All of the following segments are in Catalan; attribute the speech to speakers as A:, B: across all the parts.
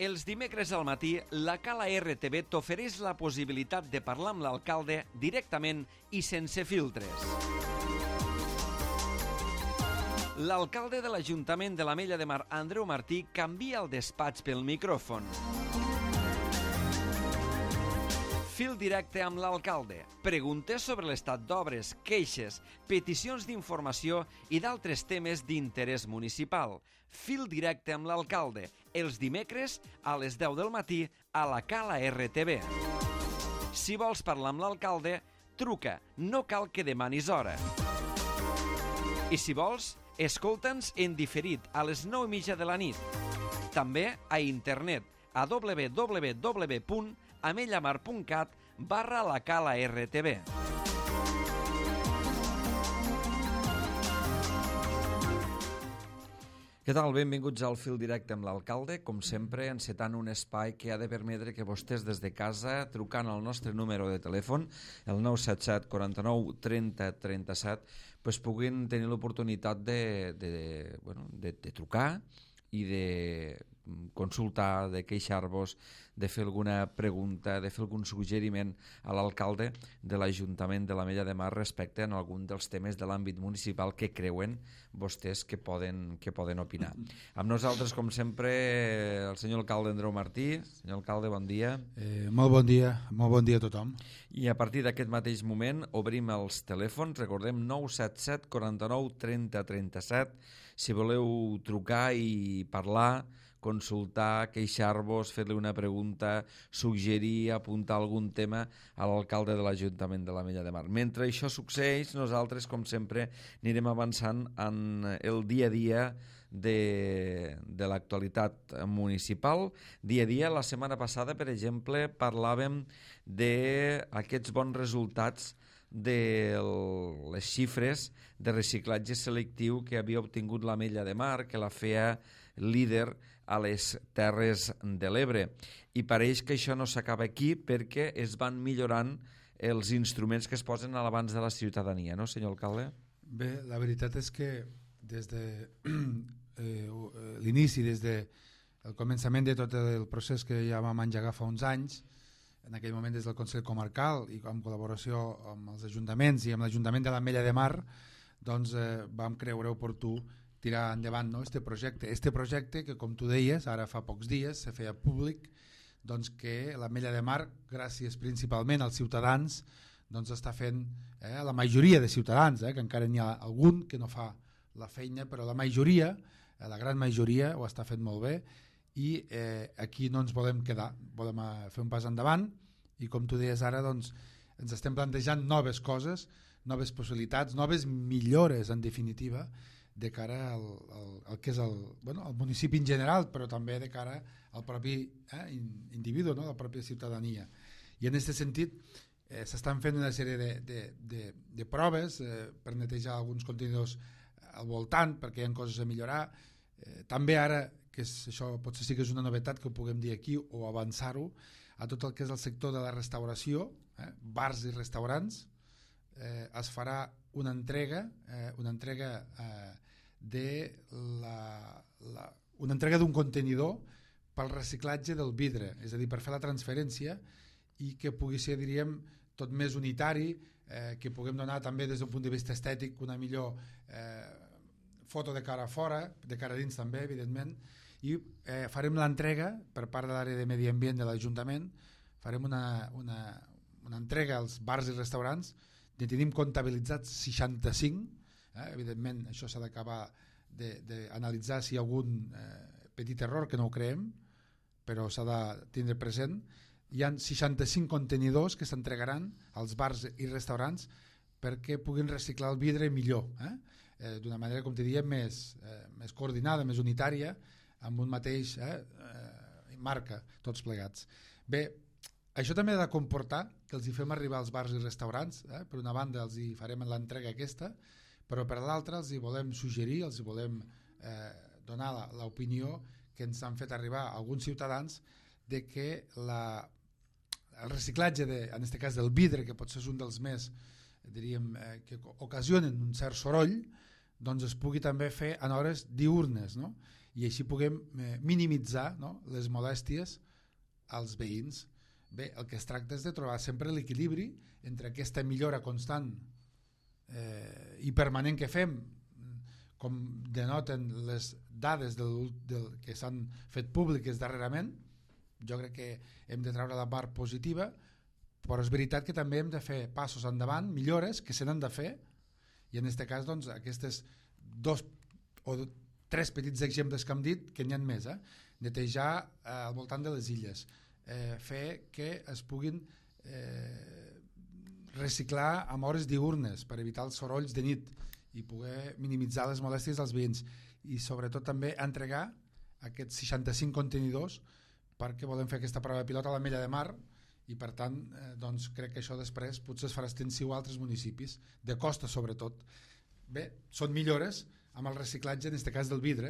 A: Els dimecres al matí, la Cala RTV t'ofereix la possibilitat de parlar amb l'alcalde directament i sense filtres. L'alcalde de l'Ajuntament de l'Ametlla de Mar, Andreu Martí, canvia el despatx pel micròfon. Fil directe amb l'alcalde. Preguntes sobre l'estat d'obres, queixes, peticions d'informació i d'altres temes d'interès municipal. Fil directe amb l'alcalde. Els dimecres a les 10 del matí a la Cala RTV. Si vols parlar amb l'alcalde, truca. No cal que demanis hora. I si vols, escolta'ns en diferit a les 9:30 de la nit. També a internet a www.amellamar.cat/la Cala RTV. Què tal? Benvinguts al Fil Directe amb l'alcalde. Com sempre, encetant un espai que ha de permetre que vostès des de casa, trucant al nostre número de telèfon, el 977 49 30 37, puguin tenir l'oportunitat de trucar i de consultar, de queixar-vos, de fer alguna pregunta, de fer algun suggeriment a l'alcalde de l'Ajuntament de l'Ametlla de Mar respecte a algun dels temes de l'àmbit municipal que creuen vostès que poden opinar. Amb nosaltres, com sempre, el senyor alcalde Andreu Martí. Senyor alcalde, bon dia.
B: Molt bon dia a tothom.
A: I a partir d'aquest mateix moment obrim els telèfons, recordem 977 49 30 37, si voleu trucar i parlar, consultar, queixar-vos, fer-li una pregunta, suggerir, apuntar algun tema a l'alcalde de l'Ajuntament de l'Ametlla de Mar. Mentre això succeeix, nosaltres, com sempre, anirem avançant en el dia a dia de l'actualitat municipal. Dia a dia, la setmana passada, per exemple, parlàvem d'aquests bons resultats de les xifres de reciclatge selectiu que havia obtingut l'Ametlla de Mar, que la feia líder a les Terres de l'Ebre. I pareix que això no s'acaba aquí perquè es van millorant els instruments que es posen a l'abans de la ciutadania, no, senyor alcalde?
B: Bé, la veritat és que des de l'inici, des del començament de tot el procés que ja vam engegar fa uns anys, en aquell moment des del Consell Comarcal i en col·laboració amb els ajuntaments i amb l'Ajuntament de l'Ametlla de Mar, doncs vam creure oportú tirar endavant, no, este projecte que, com tu deies, ara fa pocs dies se feia públic, doncs que l'Ametlla de Mar, gràcies principalment als ciutadans, doncs està fent, la majoria de ciutadans, que encara n'hi ha algun que no fa la feina, però la majoria, la gran majoria ho està fent molt bé, i aquí no ens volem quedar, volem fer un pas endavant, i com tu deies ara, doncs ens estem plantejant noves coses, noves possibilitats, noves millores en definitiva de cara al que és el municipi en general, però també de cara al propi individu, no? La pròpia ciutadania. I en aquest sentit s'estan fent una sèrie de proves per netejar alguns contenidors al voltant, perquè hi ha coses a millorar. També ara, que això potser sí que és una novetat que ho puguem dir aquí o avançar-ho, a tot el que és el sector de la restauració, bars i restaurants, es farà una entrega d'un contenidor pel reciclatge del vidre, és a dir, per fer la transferència i que pugui ser, diríem, tot més unitari, que puguem donar també des d'un punt de vista estètic una millor foto de cara a fora, de cara a dins també, evidentment, i farem l'entrega per part de l'àrea de medi ambient de l'Ajuntament, farem una entrega als bars i restaurants. Ne tenim comptabilitzats 65, evidentment això s'ha d'acabar d'analitzar si hi ha algun petit error, que no ho creem, però s'ha de tindre present. Hi ha 65 contenidors que s'entregaran als bars i restaurants perquè puguin reciclar el vidre millor, d'una manera, com te diem, més coordinada, més unitària, amb un mateix marca, tots plegats. Bé, això també ha de comportar que els hi fem arribar als bars i restaurants, per una banda els hi farem l'entrega aquesta, però per l'altra els hi volem suggerir, els hi volem donar l'opinió que ens han fet arribar alguns ciutadans de que el reciclatge, en aquest cas del vidre, que potser és un dels més, diríem, que ocasionen un cert soroll, doncs es pugui també fer en hores diurnes, no? I així puguem minimitzar, no?, les molèsties als veïns. Bé, el que es tracta és de trobar sempre l'equilibri entre aquesta millora constant i permanent que fem, com denoten les dades que s'han fet públiques darrerament. Jo crec que hem de treure la part positiva, però és veritat que també hem de fer passos endavant, millores que se n'han de fer, i en aquest cas doncs, aquestes 2 o 3 petits exemples que hem dit, que n'hi ha més, netejar al voltant de les illes, fer que es puguin reciclar amb hores diurnes per evitar els sorolls de nit i poder minimitzar les molèsties dels veïns, i sobretot també entregar aquests 65 contenidors, perquè volem fer aquesta prova pilot a l'Ametlla de Mar, i per tant doncs crec que això després potser es farà extensiu a altres municipis, de costa sobretot. Bé, són millores amb el reciclatge, en aquest cas del vidre,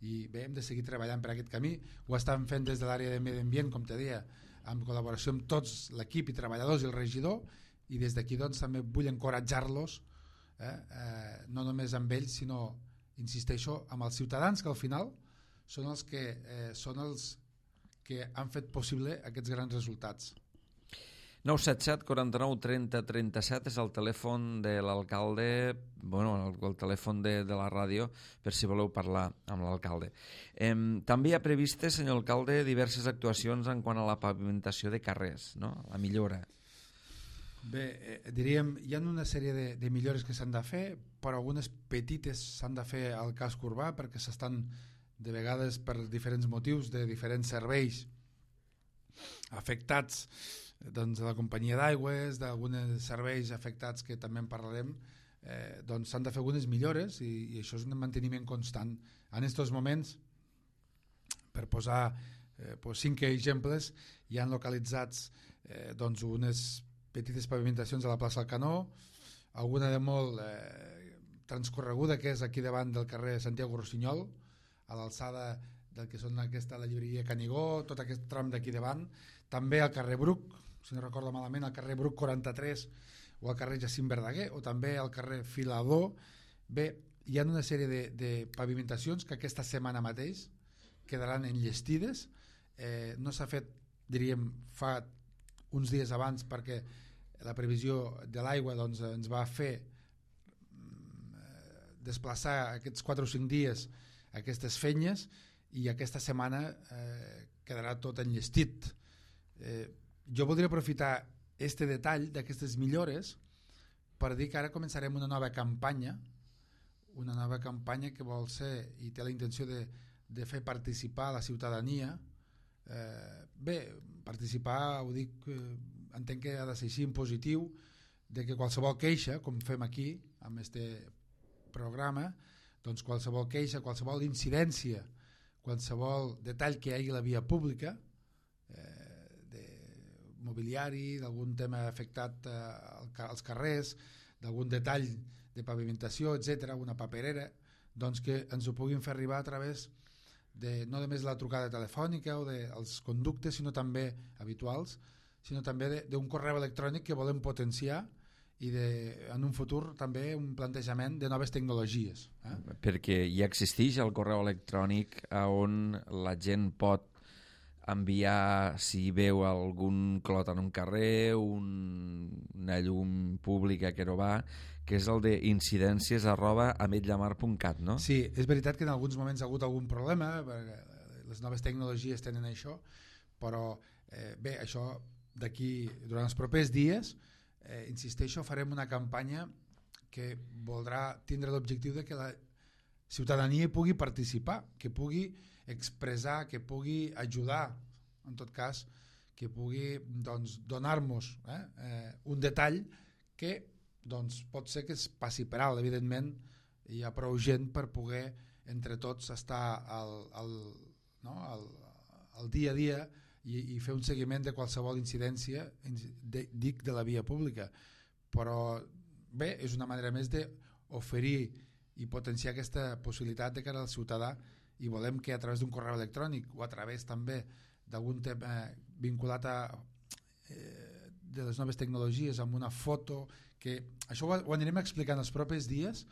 B: i bé, hem de seguir treballant per aquest camí. Ho estan fent des de l'àrea de medi ambient, com te deia, en col·laboració amb tots l'equip i treballadors i el regidor, i des d'aquí doncs també vull encoratjar-los, no només amb ells, sinó, insisteixo, amb els ciutadans, que al final són els que han fet possible aquests grans resultats.
A: 977 49 30 37 és el telèfon de l'alcalde, bueno, el telèfon de la ràdio, per si voleu parlar amb l'alcalde. També hi ha previstes, senyor alcalde, diverses actuacions en quant a la pavimentació de carrers, no?, la millora.
B: Bé, diríem, hi ha una sèrie de millores que s'han de fer, però algunes petites s'han de fer al casc urbà, perquè s'estan, de vegades, per diferents motius, de diferents serveis afectats, doncs, de la companyia d'aigües, d'alguns serveis afectats que també en parlarem, doncs s'han de fer algunes millores, i això és un manteniment constant. En aquests moments, per posar 5 exemples, hi han localitzats doncs unes petites pavimentacions a la plaça Alcanó, alguna de molt transcorreguda, que és aquí davant del carrer Santiago Rossinyol, a l'alçada del que són la llibreria Canigó, tot aquest tram d'aquí davant, també al carrer Bruc, si no recordo malament, al carrer Bruc 43 o al carrer Jacint Verdaguer, o també al carrer Filador. Bé, hi ha una sèrie de pavimentacions que aquesta setmana mateix quedaran enllestides. No s'ha fet, diríem, fa uns dies abans, perquè la previsió de l'aigua doncs, ens va fer desplaçar aquests 4 o 5 dies aquestes fenyes, i aquesta setmana quedarà tot enllestit. Jo voldria aprofitar este detall d'aquestes millores per dir que ara començarem una nova campanya que vol ser, i té la intenció de fer participar la ciutadania. Bé, participar, ho dic, entenc que ha de ser així en positiu, de que qualsevol queixa, com fem aquí amb este programa, doncs qualsevol queixa, qualsevol incidència, qualsevol detall que hi hagi a la via pública, de mobiliari, d'algun tema afectat als carrers, d'algun detall de pavimentació, etc., una paperera, doncs que ens ho puguin fer arribar a través de no només la trucada telefònica o dels conductes, sinó també habituals, sinó també d'un correu electrònic que volem potenciar, i en un futur també un plantejament de noves tecnologies.
A: Perquè ja existeix el correu electrònic on la gent pot enviar, si veu algun clot en un carrer, una llum pública que no va, que és el de incidències@ametllamar.cat, no?
B: Sí, és veritat que en alguns moments ha hagut algun problema, perquè les noves tecnologies tenen això, però bé, això d'aquí, durant els propers dies, insisteixo, farem una campanya que voldrà tindre l'objectiu de que la ciutadania pugui participar, que pugui expressar, que pugui ajudar, en tot cas, que pugui doncs, donar-nos un detall que doncs, pot ser que es passi per alt. Evidentment, hi ha prou gent per poder entre tots estar al dia a dia i fer un seguiment de qualsevol incidència, dic, de la via pública. Però bé, és una manera més d'oferir i potenciar aquesta possibilitat de cara al ciutadà, i volem que a través d'un correu electrònic o a través també d'algun tema vinculat de les noves tecnologies, amb una foto, que això ho anirem explicant els propers dies,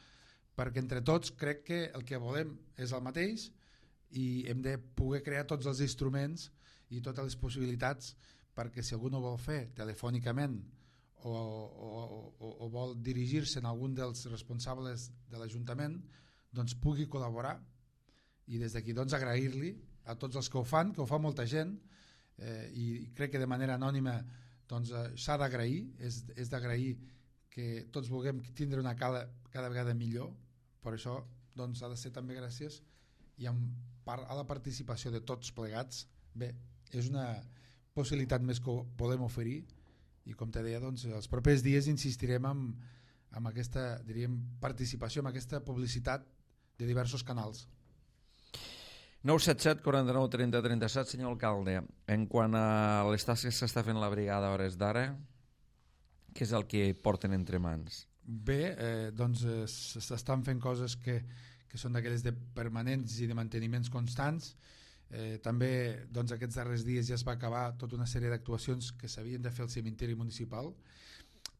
B: perquè entre tots crec que el que volem és el mateix i hem de poder crear tots els instruments i totes les possibilitats perquè si algú no vol fer telefònicament o vol dirigir-se a algun dels responsables de l'Ajuntament, doncs pugui col·laborar, i des d'aquí doncs agrair-li a tots els que ho fan, que ho fa molta gent, i crec que de manera anònima doncs s'ha d'agrair, és d'agrair que tots vulguem tindre una cada vegada millor. Per això doncs ha de ser també gràcies i a la participació de tots plegats. Bé, és una possibilitat més que podem oferir, i com te deia, doncs, els propers dies insistirem en aquesta, diríem, participació, en aquesta publicitat de diversos canals.
A: 977 49 30 37, senyor alcalde, en quant a les tasques que s'està fent la brigada a hores d'ara, què és el que porten entre mans?
B: Bé, doncs s'estan fent coses que són d'aquelles de permanents i de manteniments constants. També doncs, aquests darrers dies ja es va acabar tota una sèrie d'actuacions que s'havien de fer al cementiri municipal.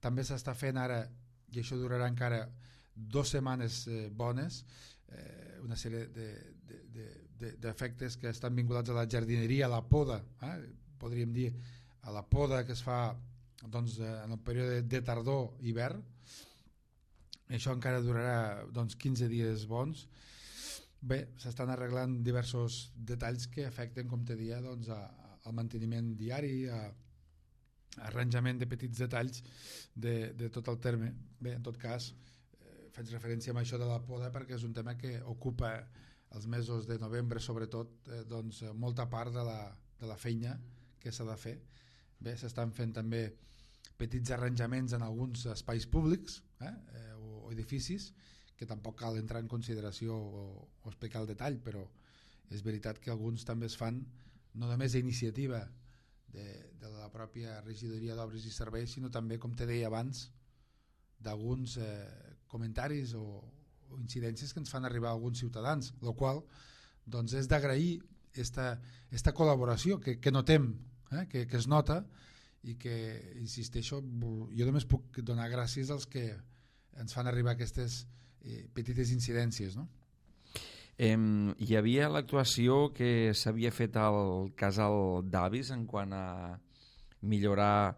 B: També s'està fent ara, i això durarà encara 2 setmanes bones, una sèrie d'efectes que estan vinculats a la jardineria, a la poda, podríem dir a la poda que es fa doncs, en el període de tardor-hivern. Això encara durarà doncs, 15 dies bons. Bé, s'estan arreglant diversos detalls que afecten, com te deia, doncs, al manteniment diari, a arranjament de petits detalls de tot el terme. Bé, en tot cas, faig referència a això de la poda perquè és un tema que ocupa els mesos de novembre, sobretot, doncs, molta part de la feina que s'ha de fer. Bé, s'estan fent també petits arranjaments en alguns espais públics o edificis, que tampoc cal entrar en consideració o explicar el detall, però és veritat que alguns també es fan no només a iniciativa de la pròpia regidoria d'obres i serveis, sinó també, com te deia abans, d'alguns comentaris o incidències que ens fan arribar alguns ciutadans, el qual doncs, és d'agrair esta col·laboració que notem, que es nota, i que, insisteixo, jo només puc donar gràcies als que ens fan arribar aquestes petites incidències, no?
A: Hi havia l'actuació que s'havia fet al casal d'Avis en quant a millorar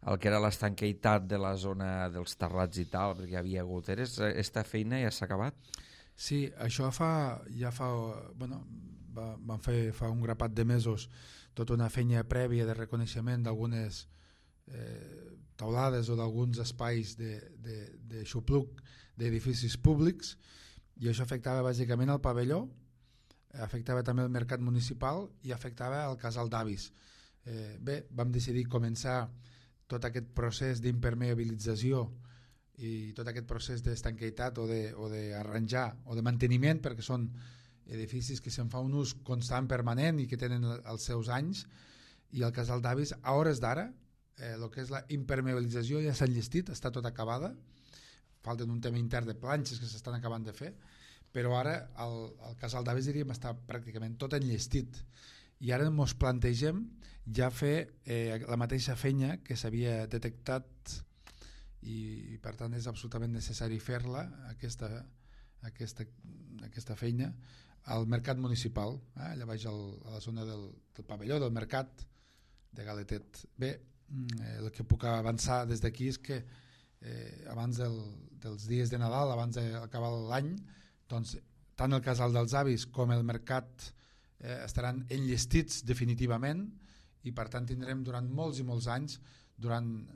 A: el que era l'estanqueitat de la zona dels terrats i tal, perquè hi havia goteres. Esta feina ja s'ha acabat?
B: Sí, això van fer fa un grapat de mesos tota una feina prèvia de reconeixement d'algunes taulades o d'alguns espais de xupluc d'edificis públics, i això afectava bàsicament el pavelló, afectava també el mercat municipal i afectava el casal d'Avis. Bé, vam decidir començar tot aquest procés d'impermeabilització i tot aquest procés d'estanqueitat o d'arranjar o de manteniment, perquè són edificis que se'n fa un ús constant, permanent i que tenen els seus anys, i el casal d'Avis a hores d'ara el que és la impermeabilització ja s'ha enllestit, està tot acabada, falten un tema intern de planxes que s'estan acabant de fer, però ara el casal d'Avis diríem està pràcticament tot enllestit, i ara ens plantegem ja fer la mateixa feina que s'havia detectat, i per tant és absolutament necessari fer-la, aquesta feina al mercat municipal, allà baix a la zona del pavelló del mercat de Galetet. Bé, el que puc avançar des d'aquí és que abans dels dies de Nadal, abans d'acabar l'any, doncs, tant el casal dels Avis com el mercat estaran enllestits definitivament, i per tant tindrem durant molts i molts anys, durant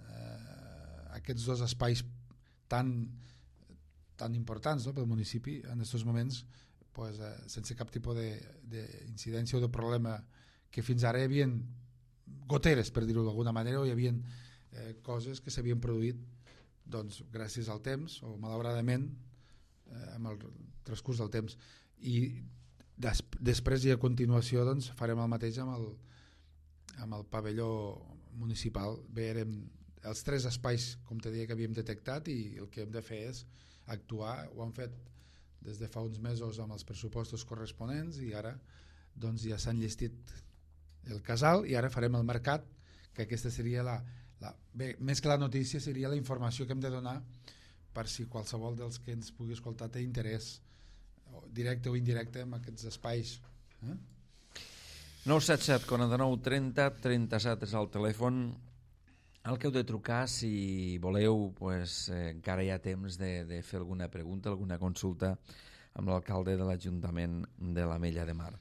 B: aquests dos espais tan importants, no, pel municipi en aquests moments, pues, sense cap tipus d'incidència o de problema, que fins ara hi havia goteres, per dir-ho d'alguna manera, o hi havia coses que s'havien produït doncs, gràcies al temps o malauradament amb el transcurs del temps, i després i a continuació doncs, farem el mateix amb el pavelló municipal. Bé, érem els 3 espais, com te deia, que havíem detectat, i el que hem de fer és actuar. Ho han fet des de fa uns mesos amb els pressupostos corresponents, i ara doncs, ja s'ha enllestit el casal, i ara farem el mercat, que aquesta seria bé, més que la notícia seria la informació que hem de donar per si qualsevol dels que ens pugui escoltar té interès directe o indirecte en aquests espais.
A: 977 49 30 37 és el telèfon al que heu de trucar si voleu, encara hi ha temps de fer alguna pregunta, alguna consulta amb l'alcalde de l'Ajuntament de l'Ametlla de Mar.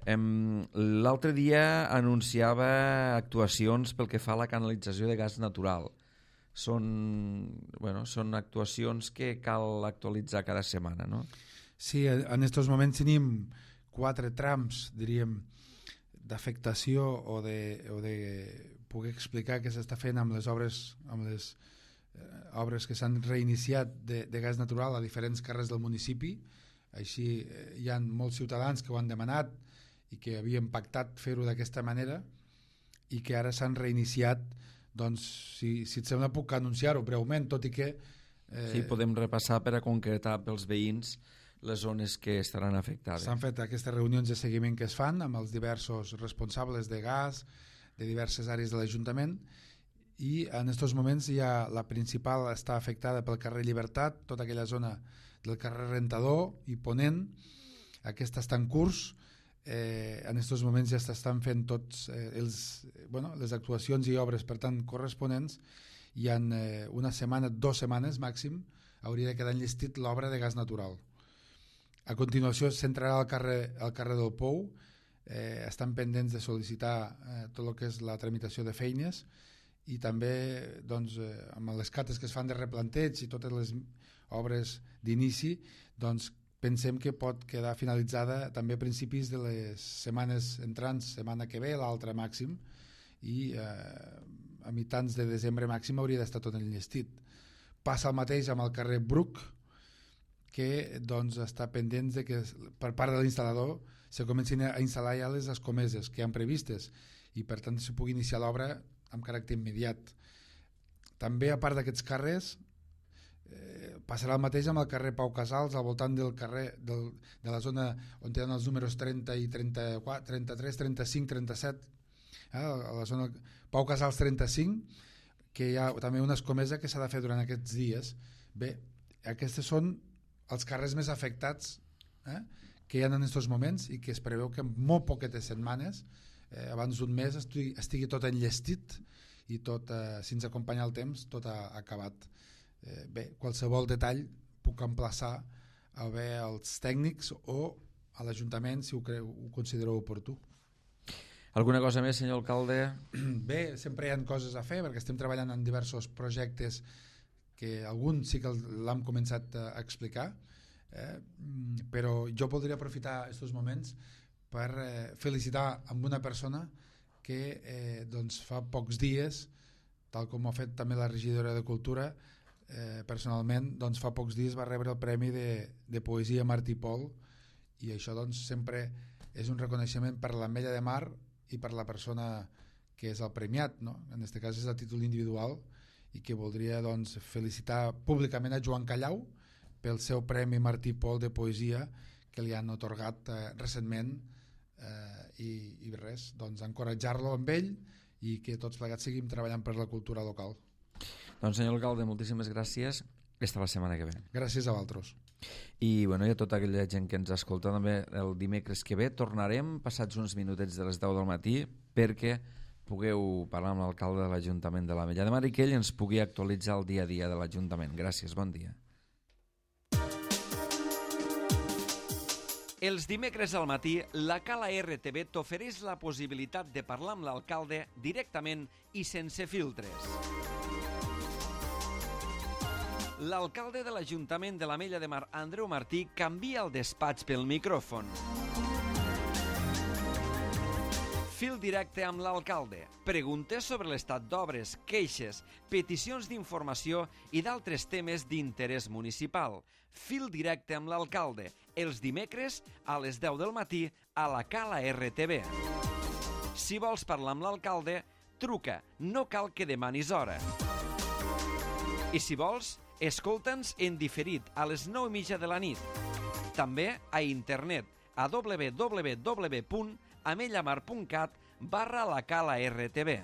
A: L'altre dia anunciava actuacions pel que fa a la canalització de gas natural. Són actuacions que cal actualitzar cada setmana, no?
B: Sí, en aquests moments tenim 4 trams, diríem, d'afectació o de poder explicar què s'està fent amb les obres que s'han reiniciat de gas natural a diferents carrers del municipi. Així hi ha molts ciutadans que ho han demanat i que havien pactat fer-ho d'aquesta manera i que ara s'han reiniciat. Doncs si et sembla puc anunciar-ho breument, tot i que...
A: Sí, podem repassar per a concretar pels veïns les zones que estaran afectades.
B: S'han fet aquestes reunions de seguiment que es fan amb els diversos responsables de gas de diverses àrees de l'Ajuntament i en aquests moments la principal està afectada pel carrer Llibertat, tota aquella zona del carrer Rentador i Ponent. Aquesta està en curs. En aquests moments ja s'estan fent tots les actuacions i obres per tant corresponents i en una setmana, 2 setmanes màxim hauria de quedar enllestit l'obra de gas natural. A continuació s'entrarà al carrer del Pou. Estan pendents de sol·licitar tot el que és la tramitació de feines i també amb les cates que es fan de replanteig i totes les obres d'inici, pensem que pot quedar finalitzada també a principis de les setmanes entrants, setmana que ve, l'altra màxim, i a mitjans de desembre màxim hauria d'estar tot enllestit. Passa el mateix amb el carrer Bruc, que està pendent de que per part de l'instal·lador se comencin a instal·lar ja les escomeses que han previstes i per tant se pugui iniciar l'obra amb caràcter immediat. També a part d'aquests carrers passarà el mateix amb el carrer Pau Casals al voltant del carrer de la zona on tenen els números 30 i 34, 33, 35, 37 a la zona Pau Casals 35, que hi ha també una escomesa que s'ha de fer durant aquests dies. Bé, aquests són els carrers més afectats que hi ha en aquests moments i que es preveu que en molt poquetes setmanes, abans d'un mes, estigui tot enllestit i tot, si ens acompanya el temps, tot ha acabat. Bé, qualsevol detall puc emplaçar a veure els tècnics o a l'Ajuntament si ho considereu oportú.
A: Alguna cosa més, senyor alcalde?
B: Bé, sempre hi ha coses a fer perquè estem treballant en diversos projectes que algun sí que l'hem començat a explicar, però jo voldria aprofitar aquests moments per felicitar amb una persona que fa pocs dies, tal com ho ha fet també la regidora de Cultura, personalment fa pocs dies va rebre el Premi de Poesia Martí Pol i això sempre és un reconeixement per l'Ametlla de Mar i per la persona que és el premiat, no? En aquest cas és a títol individual i que voldria felicitar públicament a Joan Callau pel seu Premi Martí Pol de Poesia que li han atorgat recentment i res, encoratjar-lo amb ell i que tots plegats seguim treballant per la cultura local.
A: Doncs senyor alcalde, moltíssimes gràcies. Fins la setmana que ve.
B: Gràcies a vosaltres.
A: I a tota aquella gent que ens escolta també el dimecres que ve tornarem passats uns minutets de les 10 del matí perquè pugueu parlar amb l'alcalde de l'Ajuntament de l'Ametlla de Mar i que ell ens pugui actualitzar el dia a dia de l'Ajuntament. Gràcies, bon dia. Els dimecres al matí, la Cala RTV t'ofereix la possibilitat de parlar amb l'alcalde directament i sense filtres. L'alcalde de l'Ajuntament de l'Ametlla de Mar, Andreu Martí, canvia el despatx pel micròfon. Fil directe amb l'alcalde. Preguntes sobre l'estat d'obres, queixes, peticions d'informació i d'altres temes d'interès municipal. Fil directe amb l'alcalde. Els dimecres a les 10 del matí a la Cala RTV. Si vols parlar amb l'alcalde, truca. No cal que demanis hora. I si vols, escolta'ns en diferit a les 9:30 de la nit. També a internet a www.amellamar.cat/la Cala RTV.